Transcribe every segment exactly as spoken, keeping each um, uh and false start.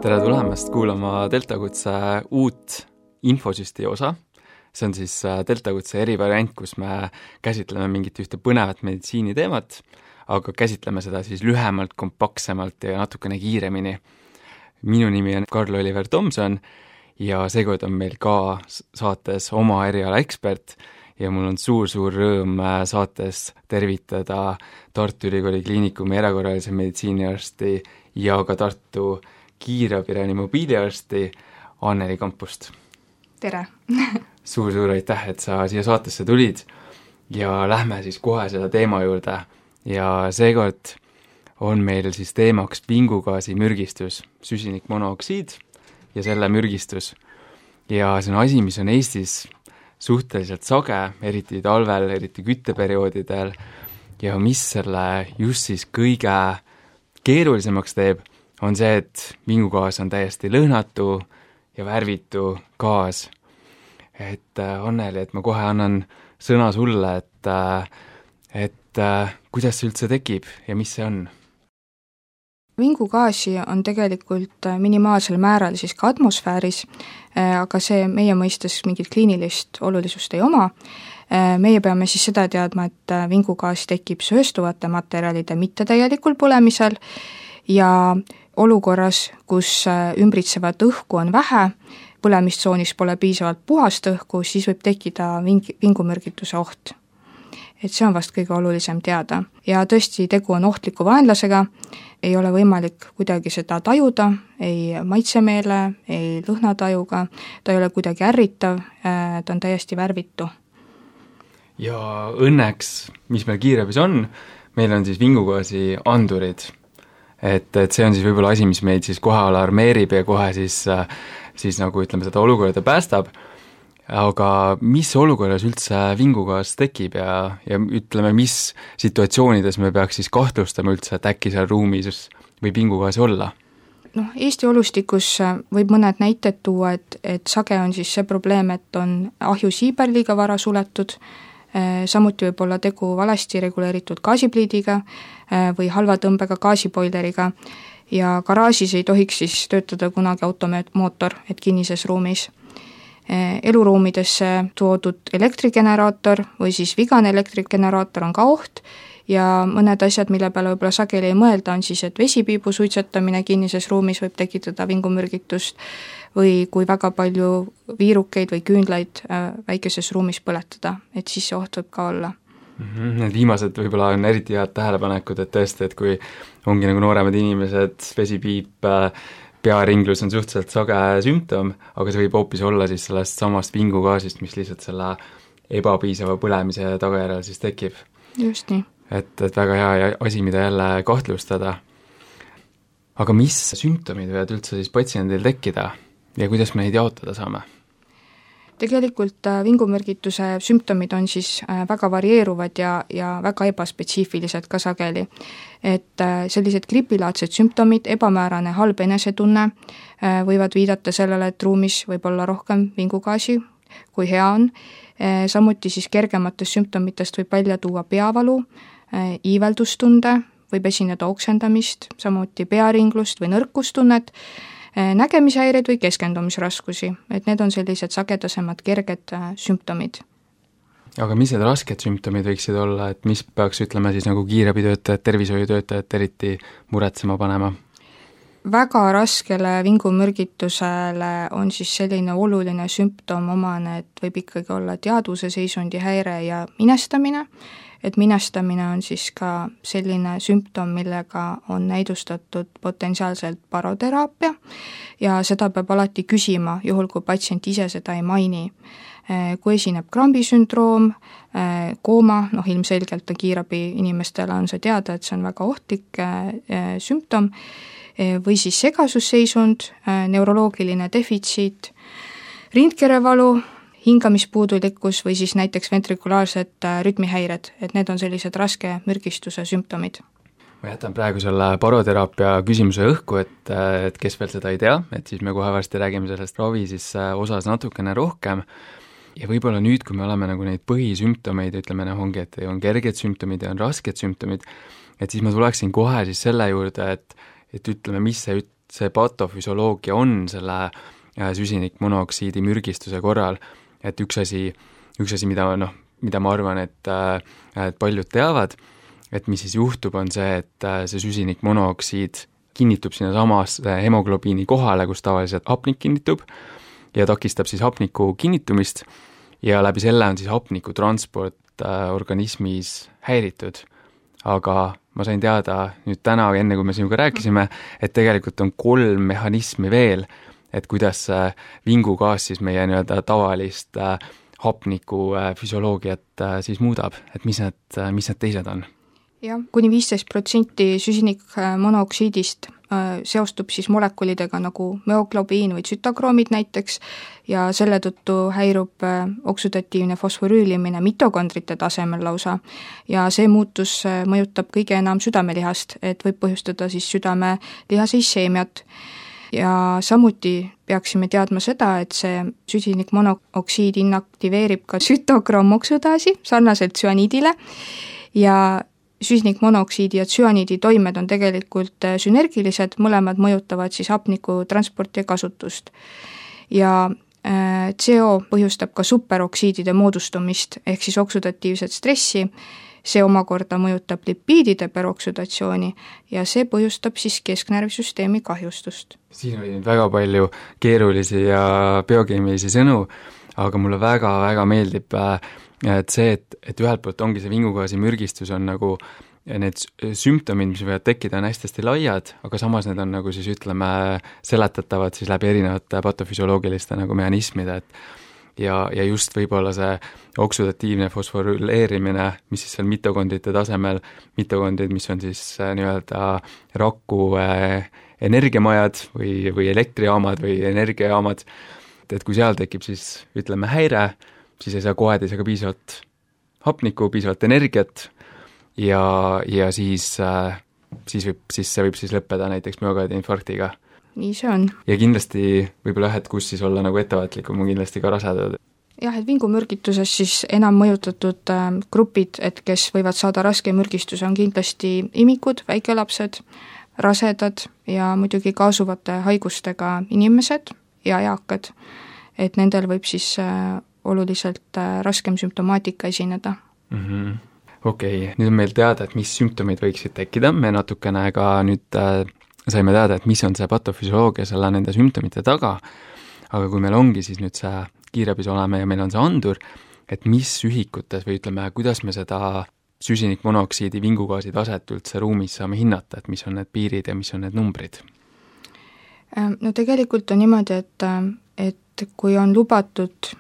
tere tulemast kuulama Deltakutse uut infosüsti osa. See on siis Deltakutse erivariant, kus me käsitleme mingit ühte põnevat meditsiiniteemat, aga käsitleme seda siis lühemalt, kompaktsemalt ja natukene kiiremini. Minu nimi on Karl-Oliver Tomson ja seekord on meil ka saates oma eriala ekspert ja mul on suur-suur rõõm saates tervitada Tartu Ülikooli Kliinikumi erakorralise meditsiiniarsti ja ka Tartu kiirabi mobiiliarsti Anneli Kampust. Tere! Suur-suur aitäh, et sa siia saatesse tulid ja lähme siis kohe selle teema juurde ja seekord on meil siis teemaks vingugaasi mürgistus, süsinikmonooksiid ja selle mürgistus. Ja see on asi, mis on Eestis suhteliselt sage, eriti talvel, eriti kütteperioodidel ja mis selle just siis kõige keerulisemaks teeb, on see, et vingugaas on täiesti lõhnatu ja värvitu gaas. Et äh, Anneli, et ma kohe annan sõna sulle, et, äh, et äh, kuidas see üldse tekib ja mis see on? Vingugaasi on tegelikult minimaalsel määral siis ka atmosfääris, aga see meie mõistes mingit kliinilist olulisust ei oma. Meie peame siis seda teadma, et vingugaas tekib sööstuvate materjalide mittetäielikul põlemisel ja olukorras, kus ümbritsevat õhku on vähe, põlemistsoonis pole piisavalt puhast õhku, siis võib tekkida ving- vingumürgituse oht. Et see on vast kõige olulisem teada. Ja tõesti, tegu on ohtliku vaenlasega, ei ole võimalik kuidagi seda tajuda, ei maitsemeele, ei lõhnatajuga, ta ei ole kuidagi ärritav, ta on täiesti värvitu. Ja õnneks, mis meil kiirabis on, meil on siis vingugaasi andurid. Et, et see on siis võib-olla asi, mis meid siis kohe alarmeerib ja kohe siis, siis nagu ütleme seda olukorda päästab. Aga mis olukorras üldse vingugaas tekib ja, ja ütleme, mis situatsioonides me peaks siis kahtlustama üldse, et äkki seal ruumis võib vingugaasi olla? Noh, Eesti olustikus võib mõned näited tuua, et, et sage on siis see probleem, et on ahjusiiber liiga vara suletud, samuti võib olla tegu valesti reguleeritud gaasipliidiga või halva tõmbega gaasipoileriga ja garaažis ei tohiks siis töötada kunagi automootor, et kinnises ruumis. Eluruumidesse toodud elektrigeneraator või siis vigane elektrigeneraator on ka oht ja mõned asjad, mille peale võib-olla sageli ei mõelda, on siis, et vesipiibu suitsetamine kinnises ruumis võib tekitada vingumürgitust või kui väga palju viirukeid või küünlaid väikeses ruumis põletada, et siis see oht võib ka olla. Mm-hmm. Need viimased võib-olla on eriti head tähelepanekud, et tõesti, et kui ongi nagu nooremad inimesed, vesipiip, pearinglus on suhteliselt sage sümptom, aga see võib hoopis olla siis sellest samast vingugaasist, mis lihtsalt selle ebapiisava põlemise tagajärjel siis tekib. Just nii. Et, et väga hea asi, mida jälle kahtlustada. Aga mis sümptomid võivad üldse siis patsiendil tekkida ja kuidas me neid jaotada saame? Tegelikult vingumürgituse sümptomid on siis väga varieeruvad ja, ja väga ebaspetsiifilised ka sageli. Et sellised gripilaadsed sümptomid, ebamäärane halb enesetunne võivad viidata sellele, et ruumis võib olla rohkem vingugaasi, kui hea on. Samuti siis kergematest sümptomitest võib välja tuua peavalu, iiveldustunde, võib esineda oksendamist, samuti pearinglust või nõrkustunnet, nägemishäired või keskendumisraskusi, et need on sellised sagedasemad kerged sümptomid. Aga mis need rasked sümptomid võiksid olla, et mis peaks ütlema siis nagu kiirabitöötajad, tervishoiutöötajad eriti muretsema panema? Väga raskele vingumürgitusele on siis selline oluline sümptom omane, et võib ikkagi olla teadvuse seisundi häire ja minestamine, et minestamine on siis ka selline sümptom, millega on näidustatud potentsiaalselt baroteraapia ja seda peab alati küsima, juhul kui patsient ise seda ei maini. Kui esineb krambisündroom, kooma, noh ilmselgelt on kiirabi inimestele on see teada, et see on väga ohtlik sümptom, või siis segasusseisund, neuroloogiline defitsiit, rindkerevalu, hingamispuudulikkus või siis näiteks ventrikulaarsed rütmihäired, et need on sellised raske mürgistuse sümptomid. Ma jätan praegu selle baroteraapia küsimuse õhku, et, et kes veel seda ei tea, et siis me kohe varsti räägime sellest ravi siis osas natukene rohkem ja võib-olla nüüd, kui me oleme nagu neid põhisümptomeid, ütleme noh ongi, et on kerged sümptomid ja on rasked sümptomid, et siis ma tuleksin kohe siis selle juurde, et, et ütleme, mis see see patofüsioloogia on selle süsinikmonoksiidi mürgistuse korral, et üks asi, üks asi, mida, noh, mida ma arvan, et, et paljud teavad, et mis siis juhtub, on see, et see süsinikmonoksiid kinnitub sinna samas hemoglobiini kohale, kus tavaliselt hapnik kinnitub ja takistab siis hapniku kinnitumist ja läbi selle on siis hapniku transport organismis häiritud. Aga ma sain teada nüüd täna, enne kui me sinuga rääkisime, et tegelikult on kolm mehhanismi veel, et kuidas vingugaas siis meie nii-öelda tavalist hapniku füsioloogiat siis muudab, et mis need, mis need teised on? Jah, kuni viisteist protsenti süsinikmonoksiidist seostub siis molekulidega nagu müoglobiin või tsütokroomid näiteks ja selle tõttu häirub oksüdatiivne fosforüülimine mitokondrite tasemel lausa ja see muutus mõjutab kõige enam südamelihast, et võib põhjustada siis südamelihase isseemiat. Ja samuti peaksime teadma seda, et see süsinikmonoksiid inaktiveerib ka tsütokroomoksudaasi sarnaselt tsüaniidile ja süsinikmonoksiidi ja tsüaniidi toimed on tegelikult sünergilised, mõlemad mõjutavad siis hapniku transporti ja kasutust. Ja C O põhjustab ka superoksiidide moodustumist ehk siis oksüdatiivset stressi, see omakorda mõjutab lipiidide peroksüdatsiooni ja see põhjustab siis kesknärvisüsteemi kahjustust. Siin oli nüüd väga palju keerulisi ja biokeemilisi sõnu, aga mulle väga-väga meeldib et see, et, et ühelt poolt ongi see vingugaasi mürgistus on nagu need sümptomid, mis võivad tekkida, on hästi-hästi laiad, aga samas need on nagu siis ütleme seletatavad siis läbi erinevate patofüsioloogiliste nagu mehhanismide, et ja, ja just võib-olla see oksüdatiivne fosforyleerimine, mis siis seal mitokondrite tasemel, mitokondrid, mis on siis nii-öelda raku energiamajad või, või elektrijaamad või energiajaamad, et kui seal tekib siis ütleme häire, siis ei saa kohed, ei saa ka piisavalt hapnikku, piisavalt energiat ja, ja siis, siis, võib, siis see võib siis lõppeda näiteks müokardiinfarktiga. Nii see on. Ja kindlasti võib-olla jah, et kus siis olla nagu ettevaatlikum, on kindlasti ka rasedad. Jah, et vingumürgituses siis enam mõjutatud grupid, et kes võivad saada raske mürgistuse, on kindlasti imikud, väikelapsed, rasedad ja muidugi kaasuvate haigustega inimesed ja eakad, et nendel võib siis oluliselt raskem sümptomaatika esineda. Mm-hmm. Okei, okay. Nüüd on meil teada, et mis sümptomid võiksid tekkida, me natukene ka nüüd äh, saime teada, et mis on see patofüsioloogia selle nende sümptomite taga, aga kui meil ongi siis nüüd see kiirabis oleme ja meil on see andur, et mis ühikutes või ütleme, kuidas me seda süsinikmonoksiidi vingugaasi taset üldse ruumis saame hinnata, et mis on need piirid ja mis on need numbrid? No tegelikult on niimoodi, et, et kui on lubatud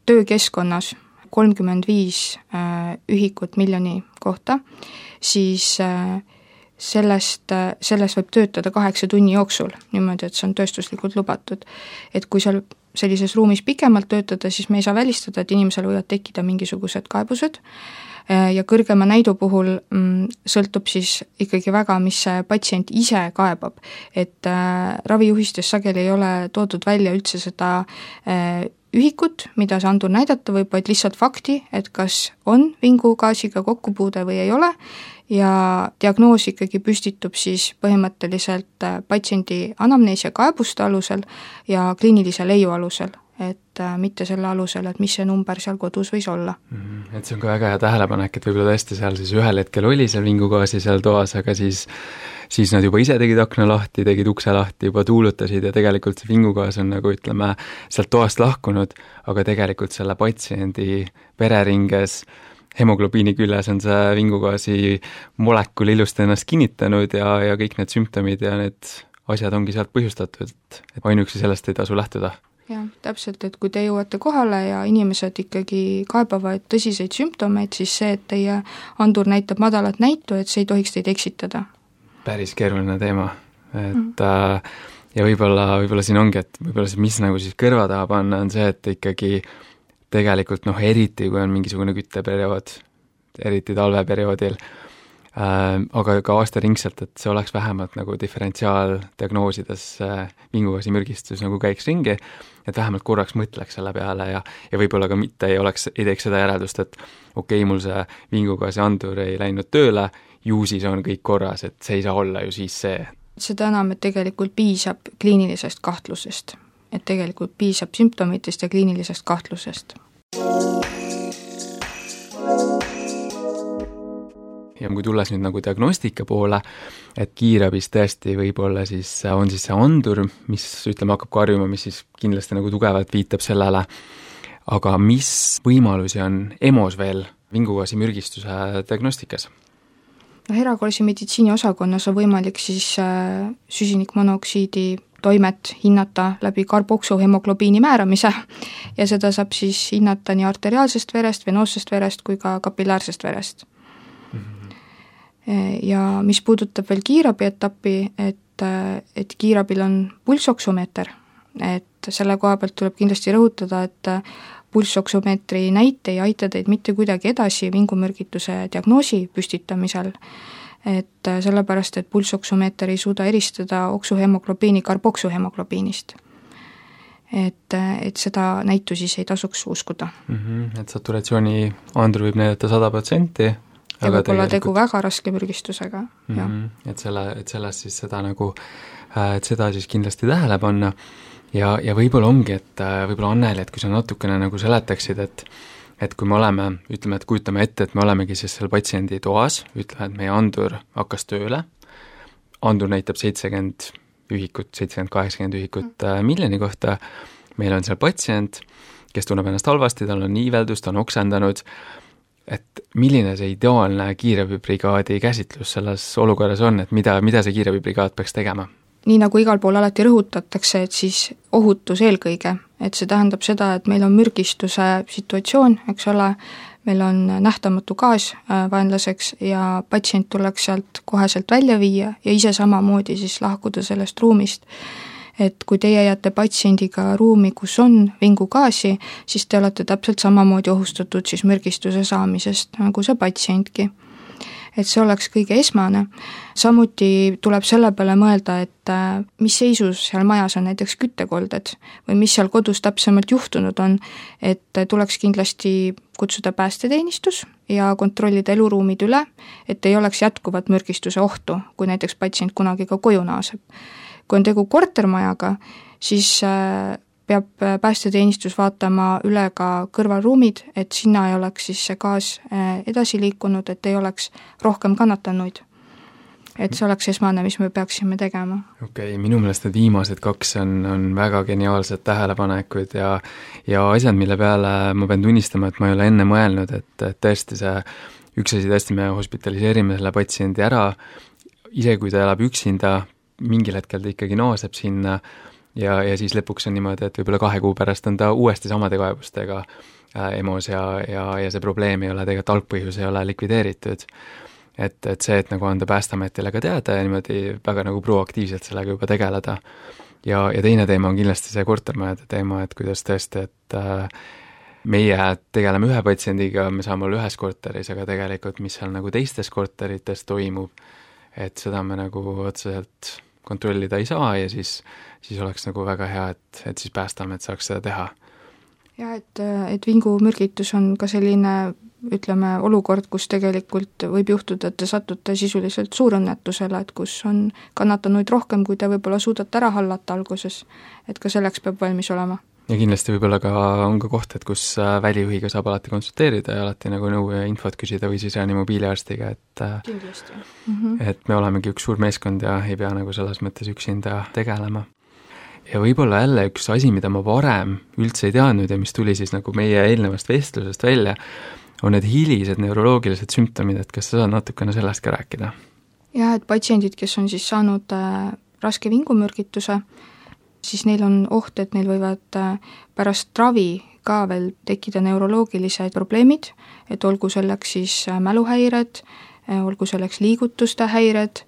töökeskkonnas kolmkümmend viis ühikut miljoni kohta, siis sellest, sellest võib töötada kaheksa tunni jooksul, niimoodi, et see on tööstuslikult lubatud. Et kui seal sellises ruumis pikemalt töötada, siis me ei saa välistada, et inimesel võivad tekkida mingisugused kaebused ja kõrgema näidu puhul sõltub siis ikkagi väga, mis see patsient ise kaebab. Et ravijuhistes sageli ei ole toodud välja üldse seda ühikut, mida see andur näidata võib, vaid lihtsalt fakti, et kas on vingugaasiga kokkupuude või ei ole ja diagnoos ikkagi püstitub siis põhimõtteliselt patsiendi anamneesia kaebuste alusel ja kliinilise leiu alusel, et mitte selle alusel, et mis see number seal kodus võis olla. Mm-hmm. Et see on ka väga hea tähelepanek, et võib-olla tõesti seal siis ühel hetkel oli seal vingugaasi seal toas, aga siis siis nad juba ise tegid akna lahti, tegid ukse lahti, juba tuulutasid ja tegelikult see vingugaas on nagu ütleme sealt toast lahkunud, aga tegelikult selle patsiendi vereringes hemoglobiini küljes on see vingugaasi molekul ilusti ennast kinnitanud ja, ja kõik need sümptomid ja need asjad ongi sealt põhjustatud, et ainuüksi sellest ei tasu lähtuda. Jah, täpselt, et kui te jõuate kohale ja inimesed ikkagi kaebavad tõsiseid sümptomeid, siis see, et teie andur näitab madalat näitu, et see ei tohiks teid eksitada. Päris keeruline teema, et mm. äh, ja võib-olla, võib-olla siin ongi, et võib-olla see, mis nagu siis kõrva taha panna, on see, et ikkagi tegelikult noh, eriti kui on mingisugune kütteperiood, eriti talveperioodil, äh, aga ka aastaringselt, et see oleks vähemalt nagu diferentsiaaldiagnoosides äh, vingugaasi mürgistus nagu käiks ringi, et vähemalt korraks mõtleks selle peale ja, ja võib-olla ka mitte ei oleks, ei teeks seda järeldust, et okei okay,, mul see vingugaasi andur ei läinud tööle, ju siis on kõik korras, et see ei saa olla ju siis see. seda enam, et tegelikult piisab kliinilisest kahtlusest, et tegelikult piisab sümptomitest ja kliinilisest kahtlusest. Ja kui tulles nüüd nagu diagnostika poole, et kiirabis tõesti võib-olla siis on siis see andur, mis ütleme hakkab karjuma, mis siis kindlasti nagu tugevalt viitab sellele, aga mis võimalusi on EMO-s veel vingugaasi mürgistuse diagnostikas? No, erakorralise meditsiini osakonnas on võimalik siis süsinikmonoksiidi toimet hinnata läbi karboksuhemoglobiini määramise ja seda saab siis hinnata nii arteriaalsest verest, venoossest verest kui ka kapillaarsest verest. Ja mis puudutab veel kiirabi etappi, et, et kiirabil on pulssoksumeeter, et selle koha pealt tuleb kindlasti rõhutada, et pulssoksumeetri näite ei aita teid mitte kuidagi edasi vingumürgituse diagnoosi püstitamisel, et sellepärast, et pulssoksumeeter ei suuda eristada oksuhemoglobiini karboksuhemoglobiinist. Et, et seda näitu siis ei tasuks uskuda. Mm-hmm, et saturatsiooni andur võib näidata sada protsenti, ja võib-olla tegu väga raske mürgistusega. Mm-hmm, et, selle, et sellest siis seda nagu, et seda siis kindlasti tähele panna ja, ja võib-olla ongi, et võib-olla Anneli, et kui sa natukene nagu seletaksid, et et kui me oleme, ütleme, et kujutame ette, et me olemegi siis seal patsiendi toas, ütleme, et meie andur hakkas tööle, andur näitab seitsekümmend ühikut, seitsekümmend kaheksakümmend ühikut mm. miljoni kohta, meil on seal patsient, kes tunneb ennast halvasti, tal on iiveldus, ta on oksendanud, et milline see ideaalne kiirabibrigaadi käsitlus selles olukorras on, et mida, mida see kiirabibrigaad peaks tegema? Nii nagu igal pool alati rõhutatakse, et siis ohutus eelkõige, et see tähendab seda, et meil on mürgistuse situatsioon, eks ole, meil on nähtamatu gaas vaenlaseks ja patsient tuleks sealt koheselt välja viia ja ise samamoodi siis lahkuda sellest ruumist. Et kui teie jääte patsiendiga ruumi, kus on vingugaasi, siis te olete täpselt samamoodi ohustatud siis mürgistuse saamisest nagu see patsientki. Et see oleks kõige esmane. Samuti tuleb selle peale mõelda, et mis seisus seal majas on näiteks küttekolded või mis seal kodus täpsemalt juhtunud on, et tuleks kindlasti kutsuda päästeteenistus ja kontrollida eluruumid üle, et ei oleks jätkuvat mürgistuse ohtu, kui näiteks patsient kunagi ka koju naaseb. Kui on tegu kortermajaga, siis peab päästeteenistus vaatama üle ka kõrvalruumid, et sinna ei oleks siis see gaas edasi liikunud, et ei oleks rohkem kannatanuid. Et see oleks esmane, mis me peaksime tegema. Okei, okay, minu meelest need viimased kaks on, on väga geniaalsed tähelepanekud ja, ja asjad, mille peale ma pean tunnistama, et ma ei ole enne mõelnud, et, et tõesti see üks asi tõesti me hospitaliseerime selle patsiendi ära, ise kui ta elab üksinda, mingil hetkel ta ikkagi naaseb sinna ja, ja siis lõpuks on niimoodi, et võib-olla kahe kuu pärast on ta uuesti samade kaebustega äh, EMO-s ja, ja, ja see probleem ei ole, tegelikult algpõhjus ei ole likvideeritud. Et, et see, et nagu anda Päästeametile ka teada ja niimoodi väga nagu proaktiivselt sellega juba tegeleda. Ja, ja teine teema on kindlasti see kortermajade teema, et kuidas tõesti, et äh, meie tegeleme ühe patsiendiga, me saame olla ühes korteris, aga tegelikult mis seal nagu teistes korterites toimub, et seda me nagu otseselt kontrollida ei saa ja siis, siis oleks nagu väga hea, et, et siis Päästeamet saaks seda teha. Ja et, et vingumürgitus on ka selline, ütleme, olukord, kus tegelikult võib juhtuda, et te satute sisuliselt suurõnnetusele, et kus on kannatanuid rohkem, kui te võib-olla suudate ära hallata alguses, et ka selleks peab valmis olema. Ja kindlasti võib-olla ka on ka koht, et kus välijuhiga saab alati konsulteerida ja alati nagu nõu ja infot küsida või siis ääni mobiiliarstiga, et, mm-hmm. et me olemegi üks suur meeskond ja ei pea nagu selles mõttes üksinda tegelema. Ja võib-olla jälle üks asi, mida ma varem üldse ei teadnud ja mis tuli siis nagu meie eelnevast vestlusest välja, on need hilised neuroloogilised sümptomid, et kas sa saad natukene sellest ka rääkida? Ja, et patsiendid, kes on siis saanud äh, raske vingumürgituse, siis neil on oht, et neil võivad pärast ravi ka veel tekkida neuroloogilised probleemid, et olgu selleks siis mäluhäired, olgu selleks liigutuste häired,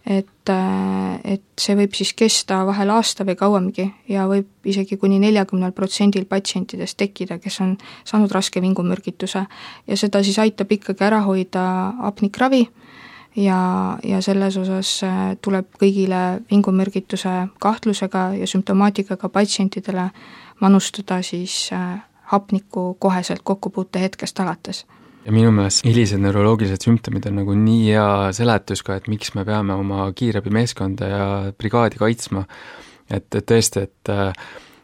et, et see võib siis kesta vahel aasta või kauemgi ja võib isegi kuni neljakümnel protsendil patsientidest tekkida, kes on saanud raske vingumürgituse ja seda siis aitab ikkagi ära hoida apnikravi, ja, ja selles osas tuleb kõigile vingumürgituse kahtlusega ja sümptomaatikaga patsientidele manustada siis hapniku koheselt kokkupuute hetkest alates. ja minu meelest hilised neuroloogilised sümptomid on nagu nii hea seletus ka, et miks me peame oma kiirabimeeskonda ja brigaadi kaitsma, et, et tõesti, et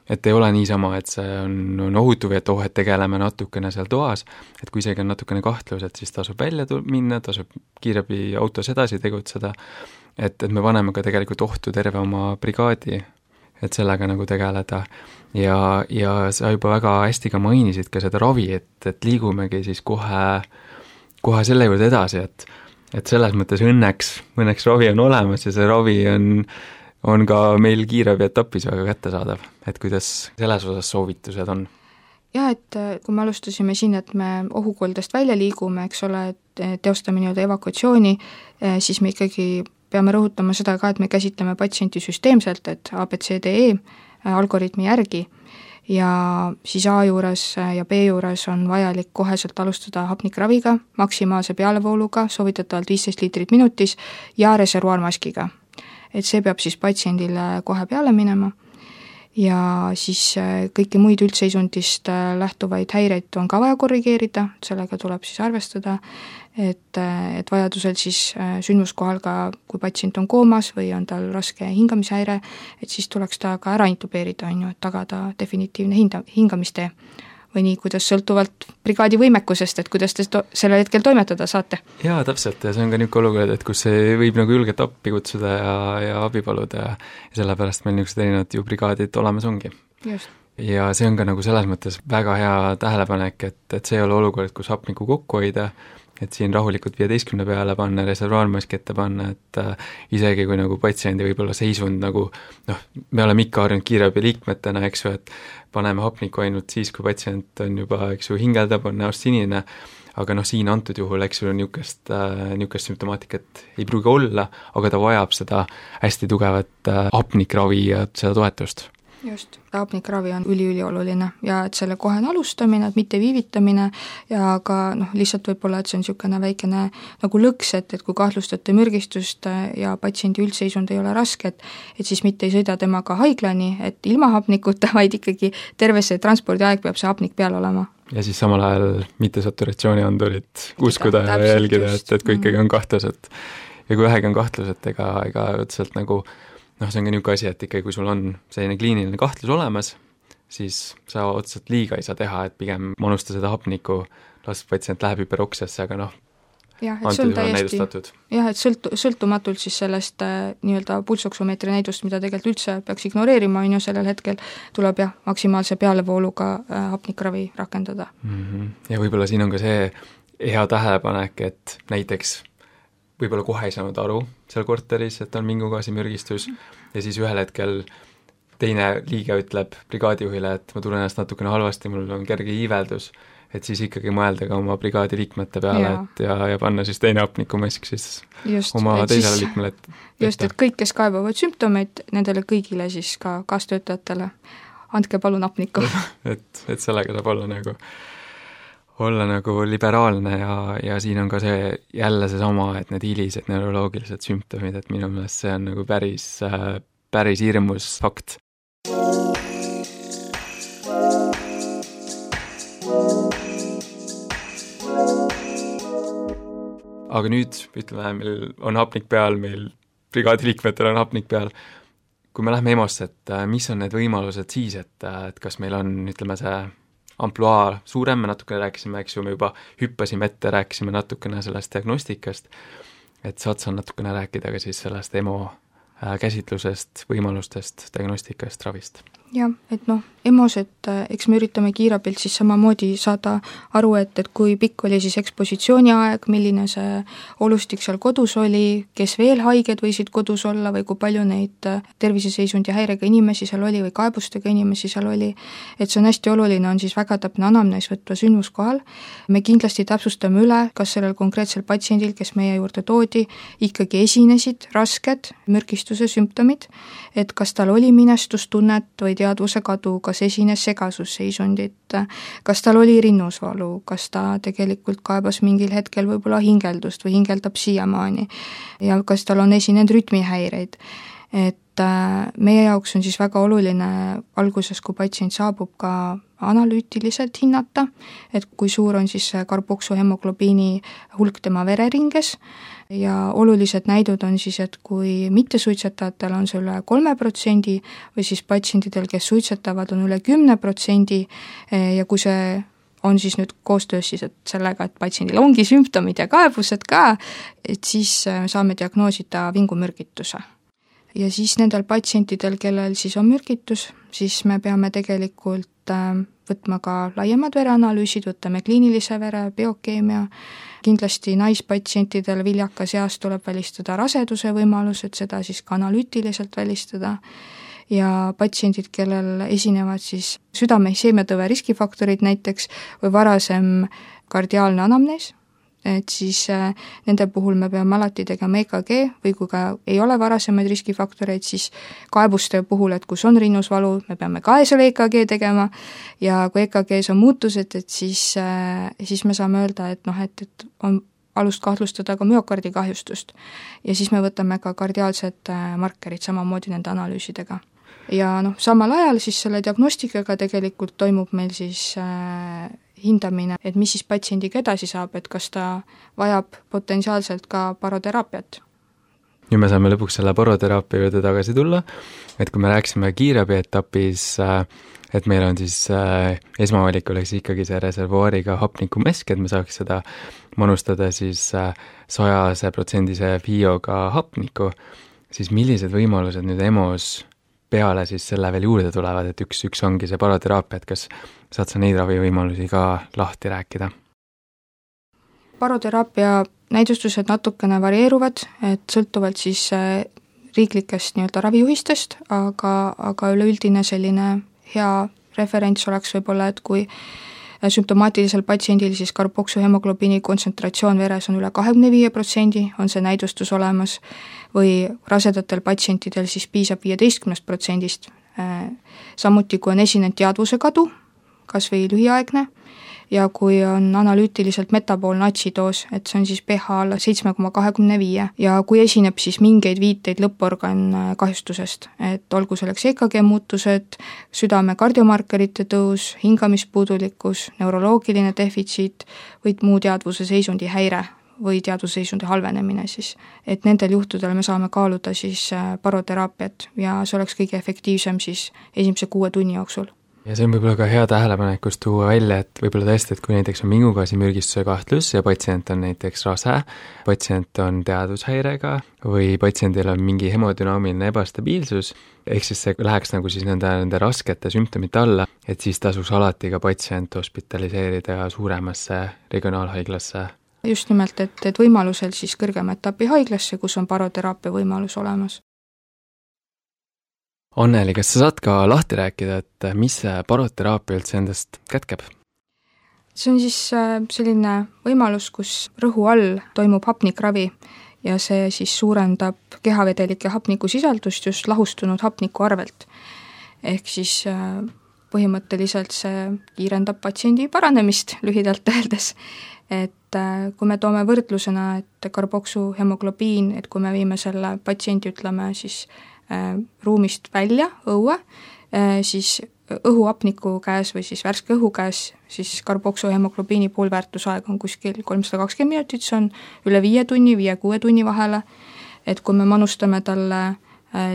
et ei ole niisama, et see on, on ohutu või et oh, et tegeleme natukene seal toas, et kui isegi on natukene kahtlus, et siis tasub välja minna, tasub kiirabi autos edasi tegutseda, et, et me paneme ka tegelikult ohtu terve oma brigaadi, et sellega nagu tegeleda. Ja, ja sa juba väga hästi ka mainisid ka seda ravi, et, et liigumegi siis kohe, kohe selle juurde edasi, et, et selles mõttes õnneks, õnneks ravi on olemas ja see ravi on on ka meil kiirabi etapis väga kättesaadav, et kuidas selles osas soovitused on? Jah, et kui me alustasime siin, et me ohukoldest välja liigume, eks ole, et teostame nii-öelda evakuatsiooni, siis me ikkagi peame rõhutama seda ka, et me käsitleme patsienti süsteemselt, et A, B, C, D, E algoritmi järgi ja siis A juures ja B juures on vajalik koheselt alustada hapnikraviga, maksimaalse pealevooluga, soovitatavalt viisteist liitrit minutis ja reservuaarmaskiga. Et see peab siis patsiendile kohe peale minema ja siis kõiki muid üldseisundist lähtuvaid häireid on ka vaja korrigeerida, sellega tuleb siis arvestada, et, et vajadusel siis sündmuskohal ka, kui patsient on koomas või on tal raske hingamishäire, et siis tuleks ta ka ära intubeerida, on ju, et tagada definitiivne hinda, hingamistee või nii, kuidas sõltuvalt brigaadi võimekusest, et kuidas te to- sellel hetkel toimetada saate. Jaa, täpselt, ja see on ka niisugune olukord, et kus see võib nagu julgelt appi kutsuda ja, ja abi paluda ja, ja sellepärast meil niisugused erinevad ju brigaadid olemas ongi. Just. Ja see on ka nagu selles mõttes väga hea tähelepanek, et, et see ei ole olukord, kus hapnikku kokku hoida, et siin rahulikult viieteistkümne peale panna, reservuaarmaski ette panna, et äh, isegi kui nagu patsiendi võib-olla seisund nagu noh, me oleme ikka harjunud kiirabi liikmetena, eks ju, et paneme hapnikku ainult siis, kui patsient on juba, eks ju, hingeldab, on näost sinine, aga noh, siin antud juhul, eks ju, niisugust äh, niisugust sümptomaatikat ei pruugi olla, aga ta vajab seda hästi tugevat äh, hapnikravi ja seda toetust. Just, hapnikravi on üli-ülioluline ja et selle kohene alustamine, et mitte viivitamine ja ka noh, lihtsalt võib-olla, et see on niisugune väikene nagu lõks, et, et kui kahtlustate mürgistust ja patsiendi üldseisund ei ole raske, et, et siis mitte ei sõida temaga haiglani, et ilma hapnikuta, vaid ikkagi terve see transpordiaeg peab see hapnik peal olema. Ja siis samal ajal mitte saturatsiooniandurit uskuda ja jälgida, et, et kui ikkagi on kahtlus, et ja kui vähegi on kahtlus, et ega, ega otseselt nagu noh, see on ka niisugune asi, et ikkagi kui sul on selline kliiniline kahtlus olemas, siis sa otseselt liiga ei saa teha, et pigem manusta seda hapnikku, las patsient läheb hüperoksesse, aga noh, jah, et see on täiesti, jah, et sõltu, sõltumatult siis sellest äh, nii-öelda pulsoksomeetri näidust, mida tegelikult üldse peaks ignoreerima, on ju sellel hetkel, tuleb jah, maksimaalse pealevooluga äh, hapnikravi rakendada. Mm-hmm. Ja võib-olla siin on ka see hea tähelepanek, et näiteks võib-olla kohe ei saanud aru seal korteris, et on mingugaasimürgistus ja siis ühel hetkel teine liige ütleb brigaadijuhile, et ma tunnen ennast natukene halvasti, mul on kerge iiveldus, et siis ikkagi mõelda ka oma brigaadi liikmete peale, ja. et ja, ja panna siis teine hapnikumask siis just, oma teisele siis, liikmele. Et, just, et kõik, kes kaebavad sümptomeid, nendele kõigile siis ka kaastöötajatele, andke palun hapnikku. et, et sellega saab olla nagu olla nagu liberaalne ja, ja siin on ka see jälle seesama, et need hilised neuroloogilised sümptomid, et minu meelest see on nagu päris, päris hirmus fakt. Aga nüüd, ütleme, meil on hapnik peal, meil brigaadi liikmetel on hapnik peal, kui me lähme EMO-sse, et mis on need võimalused siis, et, et kas meil on, ütleme, see ampluaa suurem, me natukene rääkisime, eks ju, me juba hüppasime ette, rääkisime natukene sellest diagnostikast, et saad sa natukene rääkida ka siis sellest EMO käsitlusest, võimalustest, diagnostikast, ravist? Jah, et noh, EMO-s, et eks me üritame kiirabilt siis samamoodi saada aru, et, et kui pikk oli siis ekspositsiooni aeg, milline see olustik seal kodus oli, kes veel haiged võisid kodus olla või kui palju neid terviseseisundi häirega inimesi seal oli või kaebustega inimesi seal oli, et see on hästi oluline, on siis väga täpne anamnees võtva sündmuskohal. Me kindlasti täpsustame üle, kas sellel konkreetsel patsiendil, kes meie juurde toodi, ikkagi esinesid rasked mürgistuse sümptomid, et kas tal oli minestustunnet või teadvuse kadu, kas esines segasusseisundit, kas tal oli rinnusvalu, kas ta tegelikult kaebas mingil hetkel võib-olla hingeldust või hingeldab siiamaani ja kas tal on esinenud rütmihäireid. et meie jaoks on siis väga oluline alguses, kui patsient saabub, ka analüütiliselt hinnata, et kui suur on siis karboksuhemoglobiini hulk tema vereringes ja olulised näidud on siis, et kui mittesuitsetajatel on see üle kolme protsendi või siis patsientidel, kes suitsetavad, on üle kümne protsendi ja kui see on siis nüüd koostöös siis, et sellega, et patsiendil ongi sümptomid ja kaebused ka, et siis saame diagnoosida vingumürgituse. Ja siis nendel patsientidel, kellel siis on mürgitus, siis me peame tegelikult võtma ka laiemad vereanalüüsid, võtame kliinilise vere, biokeemia, kindlasti naispatsientidel viljakas eas tuleb välistada raseduse võimalus, et seda siis ka analüütiliselt välistada, ja patsiendid, kellel esinevad siis südame-isheemiatõve riskifaktorid näiteks või varasem kardiaalne anamnees, et siis nende puhul me peame alati tegema E K G või kui ka ei ole varasemaid riskifaktoreid, siis kaebuste puhul, et kus on rinnusvalu, me peame ka selle E K G tegema ja kui E K G-s on muutused, et siis, siis me saame öelda, et noh, et, et on alust kahtlustada ka müokardikahjustust ja siis me võtame ka kardiaalsed markerid samamoodi nende analüüsidega. Ja noh, samal ajal siis selle diagnostikaga tegelikult toimub meil siis äh, hindamine, et mis siis patsiendiga edasi saab, et kas ta vajab potentsiaalselt ka paroteraapiat. Nüüd me saame lõpuks selle paroteraapia juurde tagasi tulla, et kui me rääksime kiirabi etapis, et meil on siis esmavalik oleks ikkagi see reservuaariga hapnikumesk, et me saaks seda manustada siis sajase protsendise F I O-ga hapniku, siis millised võimalused nüüd E M O-s peale siis selle veel juurde tulevad, et üks, üks ongi see paroteraapia, et kas saad sa neid ravivõimalusi ka lahti rääkida? Paroteraapia näidustused natukene varieeruvad, et sõltuvalt siis riiklikest nii-öelda ravijuhistest, aga, aga üleüldine selline hea referents oleks võib-olla, et kui sümptomaatilisel patsiendil siis karboksuhemoglobiini kontsentratsioon veres on üle kahekümne viie protsendi, on see näidustus olemas, või rasedatel patsientidel siis piisab viieteistkümnest protsendist. Samuti kui on esinenud teadvuse kadu, kas või lühiaegne, ja kui on analüütiliselt metaboolne atsidoos, et see on siis pH alla seitse koma kakskümmend viis ja kui esineb siis mingeid viiteid lõpporgan kahjustusest, et olgu selleks E K G muutused, südame kardiomarkerite tõus, hingamispuudulikkus, neuroloogiline defitsiit või muu teadvuse seisundi häire või teadvuse seisundi halvenemine siis, et nendel juhtudel me saame kaaluda siis paroteraapiat ja see oleks kõige efektiivsem siis esimese kuue tunni jooksul. Ja see on võib-olla ka hea tähelepanekus tuua välja, et võib-olla tõesti, et kui näiteks on vingugaasi-mürgistuse kahtlus ja patsient on näiteks rase, patsient on teadushäirega või patsiendil on mingi hemodünaamiline ebastabiilsus, ehk siis see läheks nagu siis nende, nende raskete sümptomite alla, et siis tasuks alati ka patsient hospitaliseerida suuremasse regionaalhaiglasse. Just nimelt, et, et võimalusel siis kõrgema etapi haiglasse, kus on paroteraapia võimalus olemas. Anneli, kas sa saad ka lahti rääkida, et mis see paroteraapia üldse endast kätkeb? See on siis selline võimalus, kus rõhu all toimub hapnikravi ja see siis suurendab kehavedelike hapnikusisaldust just lahustunud hapniku arvelt. Ehk siis põhimõtteliselt see kiirendab patsiendi paranemist lühidalt öeldes. Et kui me toome võrdlusena, et karboksuhemoglobiin, et kui me viime selle patsiendi, ütleme siis ruumist välja, õue, siis õhuhapniku käes või siis värske õhu käes, siis karboksuhemoglobiini poolväärtusaeg on kuskil kolmsada kakskümmend minutit, see on üle viie tunni, viie-kuue tunni vahele, et kui me manustame talle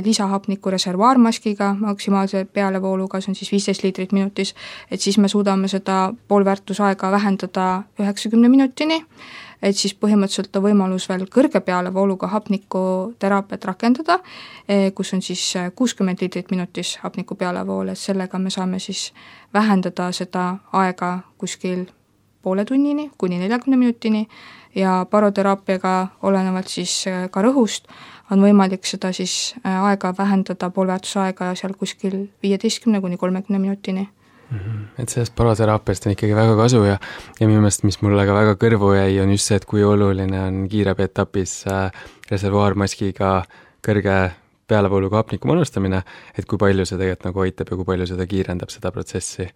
lisahapniku reservuaarmaskiga maksimaalse pealevooluga, see on siis viisteist liitrit minutis, et siis me suudame seda poolväärtusaega vähendada üheksakümne minutini, et siis põhimõtteliselt on võimalus veel kõrge pealevooluga hapniku teraapiat rakendada, kus on siis kuuskümmend liitrit minutis hapniku pealevool, et sellega me saame siis vähendada seda aega kuskil poole tunnini kuni neljakümne minutini ja paroteraapiaga olenevalt siis ka rõhust on võimalik seda siis aega vähendada poolväärtusaega seal kuskil viieteistkümne kuni kolmekümne minutini. Et sellest paroteraapiast on ikkagi väga kasu ja, ja minu meelest, mis mulle ka väga kõrvu jäi, on just see, et kui oluline on kiirabi etapis reservuaarmaskiga kõrge pealevooluga hapniku manustamine, et kui palju see tegelikult nagu aitab ja kui palju seda kiirendab seda protsessi.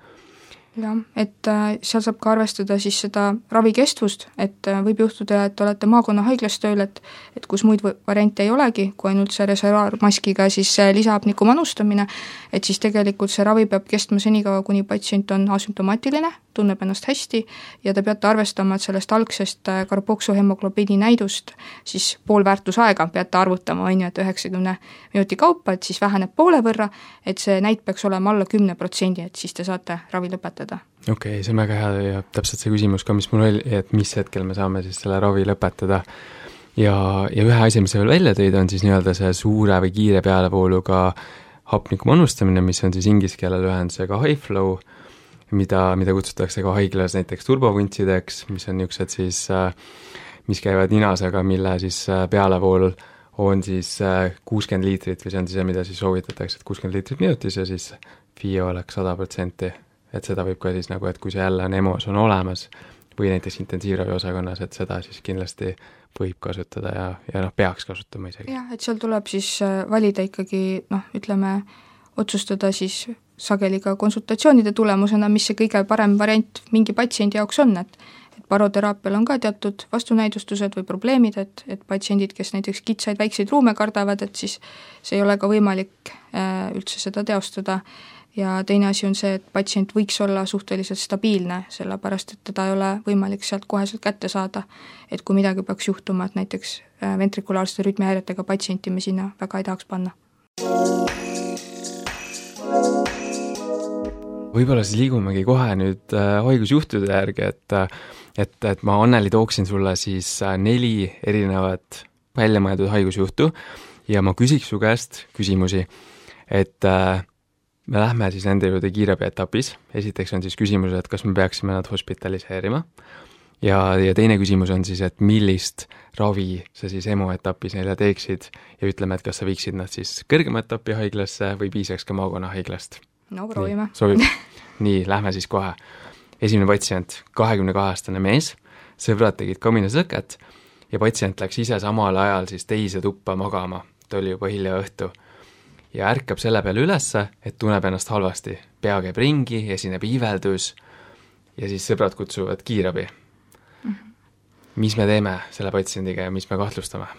jah, et äh, seal saab ka arvestada siis seda ravikestvust, et äh, võib juhtuda, et olete maakonnahaiglas tööl, et et kus muid variante ei olegi, kui ainult see reservaarmaskiga siis äh, lisahapniku manustamine, et siis tegelikult see ravi peab kestma senikaua, kuni patsient on asümptomaatiline, tunneb ennast hästi ja te peate arvestama, et sellest algsest äh, karboksuhemoglobiini näidust siis pool väärtusaega peate arvutama, on ju, et üheksakümne minuti kaupa, et siis väheneb poole võrra, et see näit peaks olema alla kümne protsendi, et siis te saate ravi lõpetada. okei okay,, see on väga hea ja täpselt see küsimus ka, mis mul oli, et mis hetkel me saame siis selle ravi lõpetada. Ja, ja ühe asi, mis sa veel välja tõid, on siis nii-öelda see suure või kiire pealevooluga hapniku manustamine, mis on siis inglise keele lühendusega high flow, mida, mida kutsutakse ka haiglas näiteks turbovuntsideks, mis on niisugused siis, mis käivad ninasega, mille siis pealevool on siis kuuskümmend liitrit või see on siis see, mida siis soovitatakse, et kuuskümmend liitrit minutis ja siis F I O oleks sada protsenti. Et seda võib ka siis nagu, et kui see jälle on EMO-s on olemas või näiteks intensiivravi osakonnas, et seda siis kindlasti võib kasutada ja, ja noh, peaks kasutama isegi. jah, et seal tuleb siis valida ikkagi noh, ütleme, otsustada siis sageli ka konsultatsioonide tulemusena, mis see kõige parem variant mingi patsiendi jaoks on, et et baroteraapial on ka teatud vastunäidustused või probleemid, et, et patsiendid, kes näiteks kitsaid väikseid ruume kardavad, et siis see ei ole ka võimalik äh, üldse seda teostada. Ja teine asi on see, et patsient võiks olla suhteliselt stabiilne, sellepärast et teda ei ole võimalik sealt koheselt kätte saada. Et kui midagi peaks juhtuma, et näiteks ventrikulaarsete rütmihäiretega patsienti me sinna väga ei tahaks panna. Võib-olla siis liigumegi kohe nüüd haigusjuhtude järgi, et, et, et ma Anneli tooksin sulle siis neli erinevat väljamõeldud haigusjuhtu ja ma küsiks su käest küsimusi, et me lähme siis nende juurde kiirabi etapis. Esiteks on siis küsimus, et kas me peaksime nad hospitaliseerima ja, ja teine küsimus on siis, et millist ravi sa siis EMO etapis neile teeksid ja ütleme, et kas sa viiksid nad siis kõrgema etapi haiglasse või piisaks ka maakonna haiglast. No proovime. Sobib. Nii, lähme siis kohe. Esimene patsient, kahekümne kahe aastane mees, sõbrad tegid kaminasõket ja patsient läks ise samal ajal siis teise tuppa magama, ta oli juba hilja õhtu. Ja ärkab selle peale ülesse, et tunneb ennast halvasti. Pea käib ringi, esineb iiveldus ja siis sõbrad kutsuvad kiirabi. Mm-hmm. Mis me teeme selle patsiendiga ja mis me kahtlustame?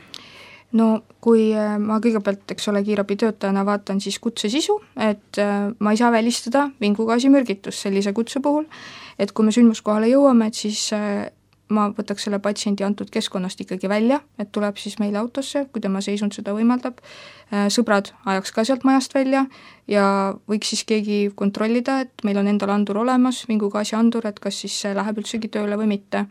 No kui ma kõigepealt, eks ole, kiirabi töötajana vaatan siis kutse sisu, et ma ei saa välistada vingugaasi-mürgitust sellise kutse puhul, et kui me sündmuskohale jõuame, et siis ma võtaks selle patsiendi antud keskkonnast ikkagi välja, et tuleb siis meile autosse, kui tema seisund seda võimaldab. Sõbrad ajaks ka sealt majast välja ja võiks siis keegi kontrollida, et meil on endal andur olemas, vingugaasi andur, et kas siis see läheb üldsegi tööle või mitte.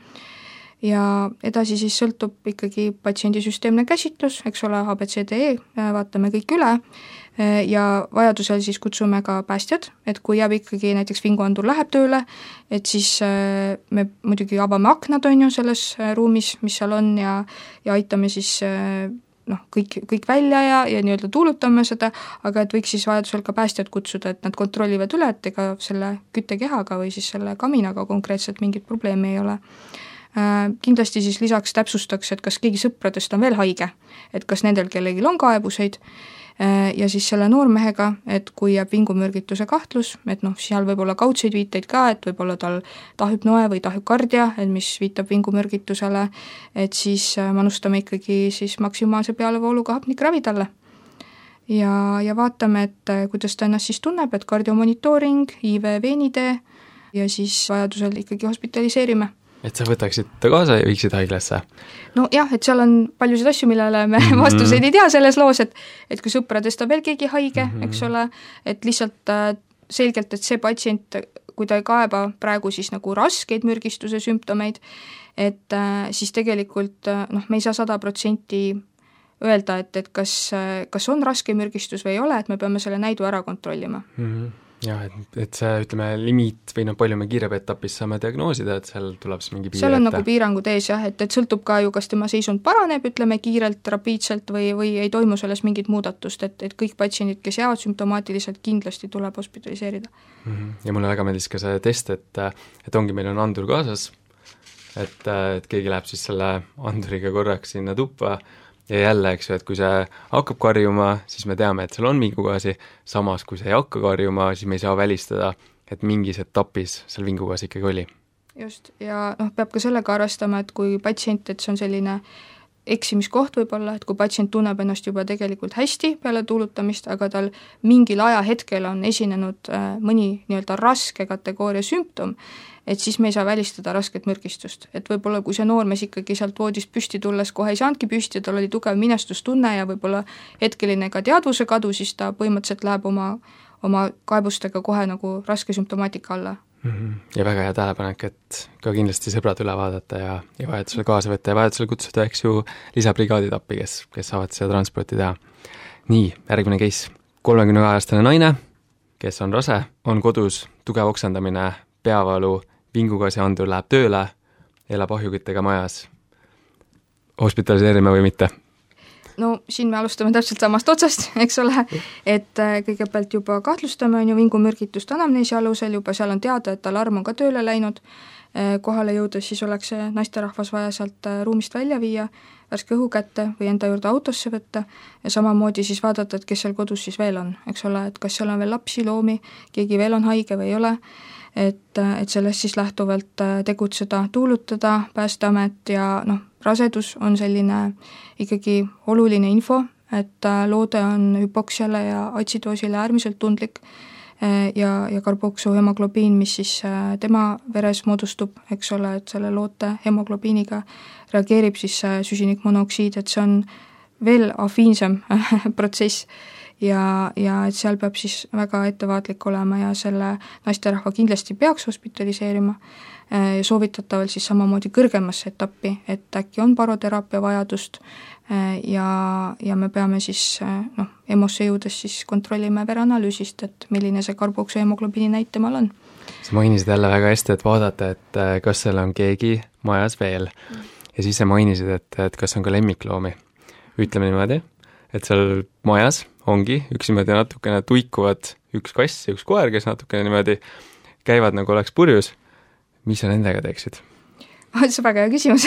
Ja edasi siis sõltub ikkagi patsiendi süsteemne käsitlus, eks ole, A B C D E, vaatame kõik üle ja vajadusel siis kutsume ka päästjad, et kui jääb ikkagi näiteks vinguandur läheb tööle, et siis me muidugi avame aknad, on ju, selles ruumis, mis seal on ja, ja aitame siis noh, kõik, kõik välja ja, ja nii-öelda tuulutame seda, aga et võiks siis vajadusel ka päästjad kutsuda, et nad kontrollivad üle, et ega selle küttekehaga või siis selle kaminaga konkreetselt mingit probleemi ei ole. Kindlasti siis lisaks täpsustaks, et kas keegi sõpradest on veel haige, et kas nendel kellelgi on kaebuseid ja siis selle noormehega, et kui jääb vingumürgituse kahtlus, et noh, seal võib olla kaudseid viiteid ka, et võib olla tal tahüpnoe või tahükardia, et mis viitab vingumürgitusele, et siis manustame ikkagi siis maksimaalse pealevooluga hapnikravi talle. Ja, ja vaatame, et kuidas ta ennast siis tunneb, et kardiomonitooring, I V veenitee ja siis vajadusel ikkagi hospitaliseerime. Et sa võtaksid ta kaasa ja viiksid haiglasse? No jah, et seal on paljusid asju, millele me mm-hmm. vastuseid ei tea selles loos, et, et kui sõpradest on veel keegi haige, mm-hmm. eks ole, et lihtsalt äh, selgelt, et see patsient, kui ta ei kaeba praegu siis nagu raskeid mürgistuse sümptomeid, et äh, siis tegelikult äh, noh, me ei saa sada protsenti öelda, et, et kas, kas on raske mürgistus või ei ole, et me peame selle näidu ära kontrollima. Mm-hmm. Jah, et, et see, ütleme, limiit või noh, palju me kiirabi etapis saame diagnoosida, et seal tuleb siis mingi piir seal on ette. Nagu piirangud ees jah, et, et sõltub ka ju, kas tema seisund paraneb, ütleme kiirelt, rapiidselt või, või ei toimu selles mingit muudatust, et, et kõik patsiendid, kes jäävad sümptomaatiliselt, kindlasti tuleb hospitaliseerida. Mm-hmm. Ja mulle väga meeldis ka see test, et, et ongi, meil on andur kaasas, et, et keegi läheb siis selle anduriga korraks sinna tuppa ja jälle, eks ju, et kui see hakkab karjuma, siis me teame, et seal on vingugaasi, samas kui see ei hakka karjuma, siis me ei saa välistada, et mingis etapis seal vingugaas ikkagi oli. Just, ja noh, peab ka sellega arvestama, et kui patsient, et see on selline eksimiskoht võib-olla, et kui patsient tunneb ennast juba tegelikult hästi peale tuulutamist, aga tal mingil ajahetkel on esinenud mõni nii-öelda raske kategooria sümptom, et siis me ei saa välistada rasket mürgistust. Et võib-olla kui see noormees ikkagi sealt voodist püsti tulles kohe ei saanudki püsti, tal oli tugev minestustunne ja võib-olla hetkeline ka teadvuse kadu, siis ta põhimõtteliselt läheb oma, oma kaebustega kohe nagu raske sümptomaatika alla. Ja väga hea tähelepanek, et ka kindlasti sõbrad üle vaadata ja, ja vajadusele kaasa võtta ja vajadusele kutsuda, eks ju, lisabrigaadid appi, kes, kes saavad seda transporti teha. Nii, järgmine case. kolmekümne aastane naine, kes on rase, on kodus, tugev oksendamine, peavalu, vingugaasi andur läheb tööle, elab ahjuküttega majas. Hospitaliseerime või mitte? No siin me alustame täpselt samast otsast, eks ole, et kõigepealt juba kahtlustame on ju vingumürgitust anamneesi alusel, juba seal on teada, et alarm on ka tööle läinud, kohale jõudes siis oleks see naisterahvas vaja sealt ruumist välja viia, värske õhu kätte või enda juurde autosse võtta ja samamoodi siis vaadata, et kes seal kodus siis veel on, eks ole, et kas seal on veel lapsi, loomi, keegi veel on haige või ei ole, et, et sellest siis lähtuvalt tegutseda, tuulutada, Päästeamet ja noh, rasedus on selline ikkagi oluline info, et loode on hüpoksiale ja atsidoosile äärmiselt tundlik ja, ja karboksuhemoglobiin, mis siis tema veres moodustub, eks ole, et selle loote hemoglobiiniga reageerib siis süsinikmonoksiid, et see on veel afiinsem protsess ja, ja et seal peab siis väga ettevaatlik olema ja selle naisterahva kindlasti peaks hospitaliseerima ja soovitatavalt siis samamoodi kõrgemasse etappi, et äkki on baroteraapia vajadust ja, ja me peame siis noh, EMO-sse jõudes siis kontrollime vereanalüüsist, et milline see karboksuhemoglobiini näit temal on. Sa mainisid jälle väga hästi, et vaadata, et kas seal on keegi majas veel ja siis sa mainisid, et, et kas on ka lemmikloomi. Ütleme niimoodi, et seal majas ongi üks niimoodi natukene tuikuvad üks kass ja üks koer, kes natukene niimoodi käivad nagu oleks purjus. Mis sa nendega teeksid? See on väga hea küsimus,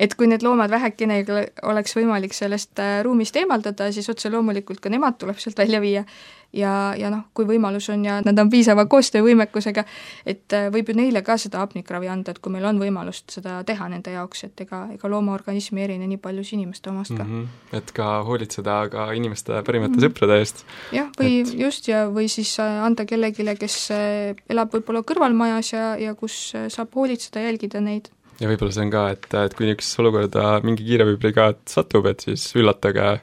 et kui need loomad vähekene oleks võimalik sellest ruumist eemaldada, siis otse loomulikult ka nemad tuleb sealt välja viia ja, ja noh, kui võimalus on ja nad on piisava koostöövõimekusega, et võib ju neile ka seda hapnikravi anda, et kui meil on võimalust seda teha nende jaoks, et ega, ega loomaorganismi erine nii palju inimeste omast ka. Mm -hmm. Et ka hoolitseda ka inimeste parimate mm -hmm. sõprade eest. Jah, või et... just, ja või siis anda kellegile, kes elab võib-olla kõrvalmajas ja, ja kus saab hoolitseda, jälgida neid. Ja võib-olla see on ka, et, et kui niisugusesse olukorda mingi kiirabibrigaad satub, et siis üllatage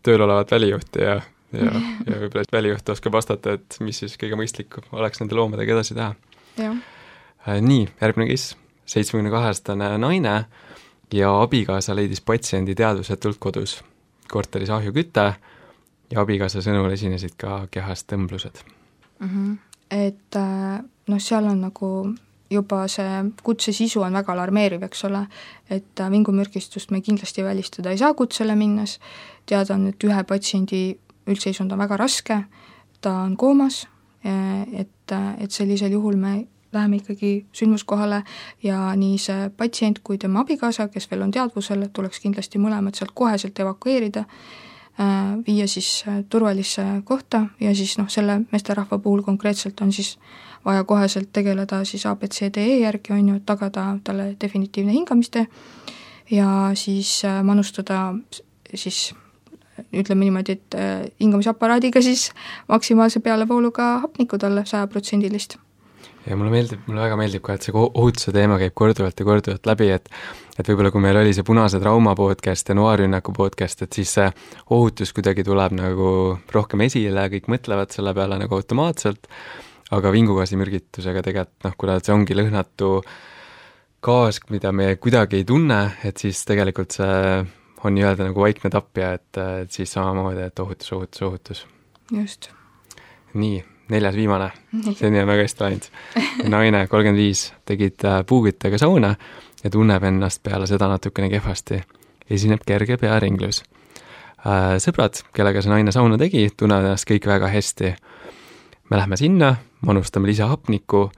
tööl olevat välijuhti ja, ja, ja võib-olla välijuht oskab vastata, et mis siis kõige mõistlik oleks nende loomadega edasi teha. Äh, nii, järgmine kes, seitsmekümne kaheaastane naine ja abikaasa leidis patsiendi teadvusetult kodus. Korteris ahjuküte ja abikaasa sõnul esinesid ka kehas tõmblused. Mm-hmm. Et noh, seal on nagu juba see kutse sisu on väga alarmeeriv, eks ole, et vingumürgistust me kindlasti välistada ei saa kutsele minnes, teada on, et ühe patsiendi üldseisund on väga raske, ta on koomas, et, et sellisel juhul me läheme ikkagi sündmuskohale ja nii see patsient kui tema abikaasa, kes veel on teadvusel, tuleks kindlasti mõlemad sealt koheselt evakueerida, viia siis turvalisse kohta ja siis noh, selle meesterahva puhul konkreetselt on siis vaja koheselt tegeleda siis A B C D E järgi, on ju, tagada talle definitiivne hingamiste ja siis manustada siis ütleme niimoodi, et hingamisaparaadiga siis maksimaalse pealevooluga hapnikku talle sajaprotsendilist. Ja mulle meeldib, mulle väga meeldib ka, et see ohutuse teema käib korduvalt ja korduvalt läbi, et et võib-olla kui meil oli see Punase trauma podcast ja Noarünnaku podcast, et siis see ohutus kuidagi tuleb nagu rohkem esile, kõik mõtlevad selle peale nagu automaatselt, aga vingugaasimürgitusega tegelikult, noh, kuna see ongi lõhnatu gaas, mida me kuidagi ei tunne, et siis tegelikult see on nii-öelda nagu vaikne tapja, et, et siis samamoodi, et ohutus, ohutus, ohutus. Just. Nii, neljas viimane, seni on väga hästi läinud. Naine, kolmkümmend viis, tegid puugüttega sauna ja tunneb ennast peale seda natukene kehvasti. Esineb kerge pearinglus. Sõbrad, kellega see naine sauna tegi, tunnevad ennast kõik väga hästi. Me lähme sinna, manustame lisahapniku,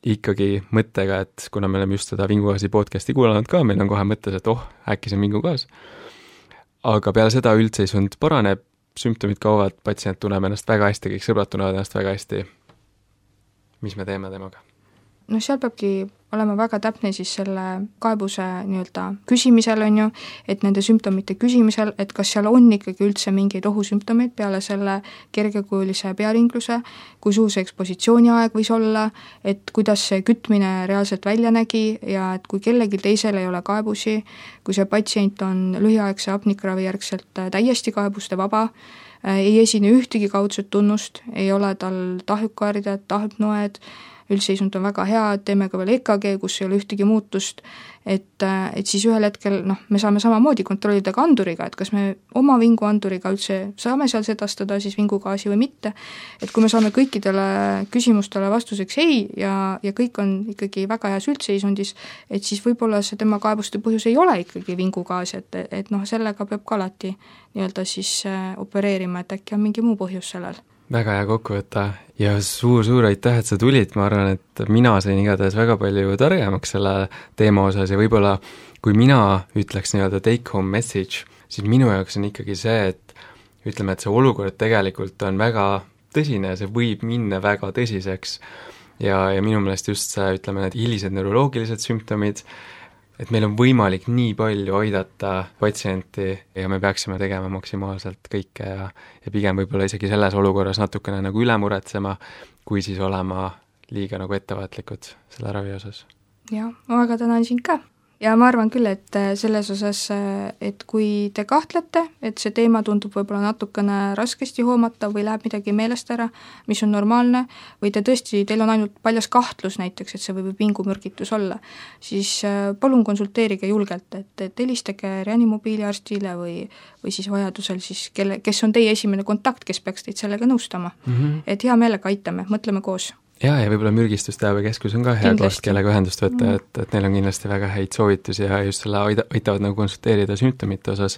ikkagi mõttega, et kuna me oleme just seda vingugaasi podcasti kuulanud ka, meil on kohe mõttes, et oh, äkki see on vingugaas. Aga peale seda üldseisund paraneb, sümptomid kaovad, patsient tunneb ennast väga hästi, kõik sõbrad tunnevad ennast väga hästi. mis me teeme temaga? No seal peabki olema väga täpne siis selle kaebuse nii-öelda küsimisel, on ju, et nende sümptomite küsimisel, et kas seal on ikkagi üldse mingeid ohusümptomeid peale selle kergekujulise pearingluse, kui suur see ekspositsiooni aeg võis olla, et kuidas see kütmine reaalselt välja nägi ja et kui kellelgi teisel ei ole kaebusi, kui see patsient on lühiaegse hapnikravi järgselt täiesti kaebuste vaba, ei esine ühtegi kaudset tunnust, ei ole tal tahvikuhäired, tahvnoed, üldseisund on väga hea, teeme ka veel E K G, kus ei ole ühtegi muutust, et, et siis ühel hetkel noh, me saame samamoodi kontrollida ka anduriga, et kas me oma vinguanduriga üldse saame seal sedastada siis vingugaasi või mitte, et kui me saame kõikidele küsimustele vastuseks ei ja, ja kõik on ikkagi väga heas üldseisundis, et siis võib-olla see tema kaebuste põhjus ei ole ikkagi vingugaas, et, et noh, sellega peab ka alati nii-öelda siis opereerima, et äkki on mingi muu põhjus sellel. Väga hea kokkuvõtta ja suur-suur aitäh, et sa tulid, ma arvan, et mina sain igatahes väga palju targemaks selle teema osas ja võib-olla kui mina ütleks nii-öelda take home message, siis minu jaoks on ikkagi see, et ütleme, et see olukord tegelikult on väga tõsine, see võib minna väga tõsiseks ja, ja minu meelest just see, ütleme, need hilised neuroloogilised sümptomid, et meil on võimalik nii palju aidata patsienti ja me peaksime tegema maksimaalselt kõike ja, ja pigem võib-olla isegi selles olukorras natukene nagu üle muretsema, kui siis olema liiga nagu ettevaatlikud selle ravi osas. Jah, ma väga tänan sind ka. Ja ma arvan küll, et selles osas, et kui te kahtlete, et see teema tundub võib-olla natukene raskesti hoomata või läheb midagi meelest ära, mis on normaalne, või te tõesti, teil on ainult paljas kahtlus näiteks, et see võib vingumürgitus olla, siis palun konsulteerige julgelt, et, et helistage reanimobiiliarstile või, või siis vajadusel siis, kelle, kes on teie esimene kontakt, kes peaks teid sellega nõustama. Mm-hmm. Et hea meelega aitame, mõtleme koos. Jaa, ja võib-olla mürgistusteabekeskus on ka hea koht, kellega ühendust võtta, et, et neil on kindlasti väga häid soovitusi ja just selle aida, aitavad nagu konsulteerida sümptomite osas.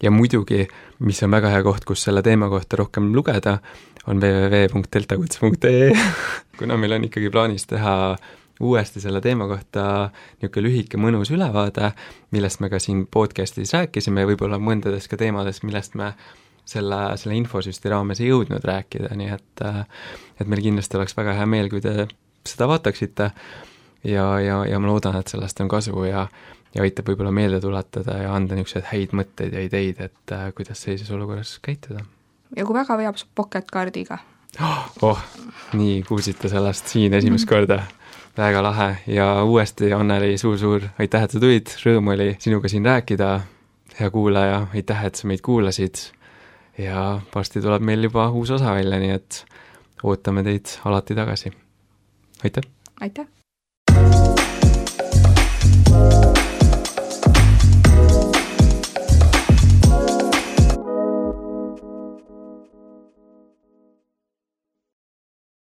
Ja muidugi, mis on väga hea koht, kus selle teema kohta rohkem lugeda, on w w w punkt deltakuts punkt e e kuna meil on ikkagi plaanis teha uuesti selle teema kohta niisugune lühike mõnus ülevaade, millest me ka siin podcastis rääkisime ja võib-olla mõndades ka teemadest, millest me selle, selle infosüsti raames ei jõudnud rääkida, nii et, et meil kindlasti oleks väga hea meel, kui te seda vaataksite ja, ja, ja ma loodan, et sellest on kasu ja, ja aitab võib-olla meelde tuletada ja anda niisuguseid häid mõtteid ja ideid, et kuidas sellises olukorras käituda. Ja kui väga veab, saab pocket-kaardiga. Oh, nii kuulsite sellest siin esimest korda. Väga lahe ja uuesti, Anneli, suur-suur aitäh, et sa tulid, rõõm oli sinuga siin rääkida, hea kuulaja, aitäh, et sa meid kuulasid ja varsti tuleb meil juba uus osa välja, nii et ootame teid alati tagasi. Aitäh! Aitäh!